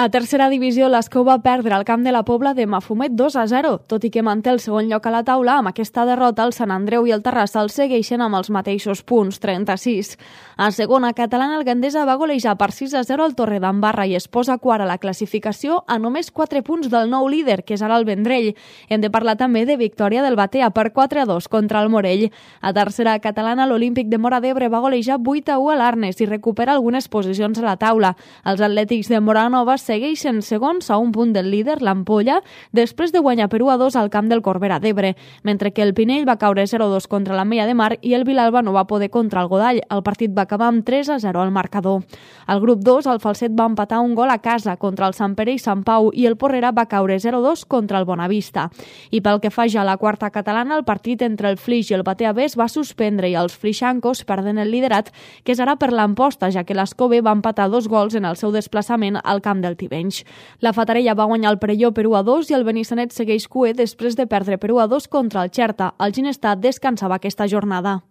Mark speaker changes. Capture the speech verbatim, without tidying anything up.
Speaker 1: A tercera divisió, l'Escó va perdre al camp de la Pobla de Mafumet dos a zero. Tot i que manté el segon lloc a la taula, amb aquesta derrota el Sant Andreu i el Terrassa el segueixen amb els mateixos punts, trenta-sis. A segona catalana, el Gandesa va golejar per sis a zero al Torredembarra i es posa quart a la classificació a només quatre punts del nou líder, que és ara el Vendrell. Hem de parlar també de victòria del Batea per quatre a dos contra el Morell. A tercera catalana, l'Olímpic de Móra d'Ebre va golejar vuit a u a l'Arnes i recupera algunes posicions a la taula. Els atlètics de Moranova segueixen segons a un punt del líder, l'Ampolla, després de guanyar per u a dos al camp del Corbera d'Ebre, mentre que el Pinell va caure zero a dos contra l'Ametlla de Mar i el Vilalba no va poder contra el Godall. El partit va acabar amb tres a zero al marcador. Al grup dos, el Falset va empatar un gol a casa contra el Sant Pere i Sant Pau i el Porrera va caure zero a dos contra el Bonavista. I pel que fa ja a la quarta catalana, el partit entre el Flix i el Batea B es va suspendre i els flixancos perden el liderat, que és ara per l'Amposta, ja que l'Escó B va empatar dos gols en el seu desplaçament al camp del Tivenys. La Fatarella va guanyar el Perelló per u a dos i el Benissanet segueix cuer després de perdre per u a dos contra el Xerta. El Ginestar descansava aquesta jornada.